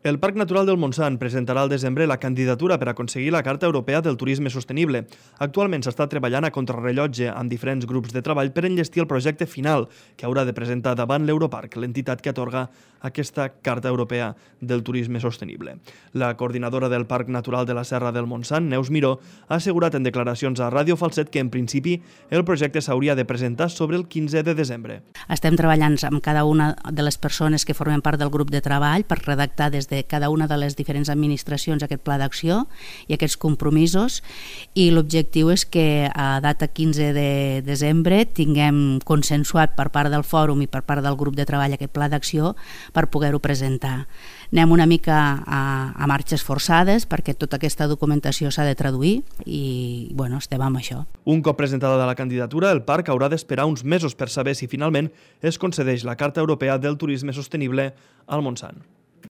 El Parc Natural del Montsant presentarà al desembre la candidatura per aconseguir la Carta Europea del Turisme Sostenible. Actualment s'està treballant a contrarrellotge amb diferents grups de treball per enllestir el projecte final que haurà de presentar davant l'Europarc, l'entitat que atorga aquesta Carta Europea del Turisme Sostenible. La coordinadora del Parc Natural de la Serra del Montsant, Neus Miró, ha assegurat en declaracions a Ràdio Falset que en principi el projecte s'hauria de presentar sobre el 15 de desembre. Estem treballant amb cada una de les persones que formen part del grup de treball per redactar des de cada una de les diferents administracions aquest pla d'acció i aquests compromisos, i l'objectiu és que a data 15 de desembre tinguem consensuat per part del fòrum i per part del grup de treball aquest pla d'acció per poder-ho presentar. Anem una mica a marxes forçades perquè tota aquesta documentació s'ha de traduir i estem amb això. Un cop presentada la candidatura, el parc haurà d'esperar uns mesos per saber si finalment es concedeix la Carta Europea del Turisme Sostenible al Montsant.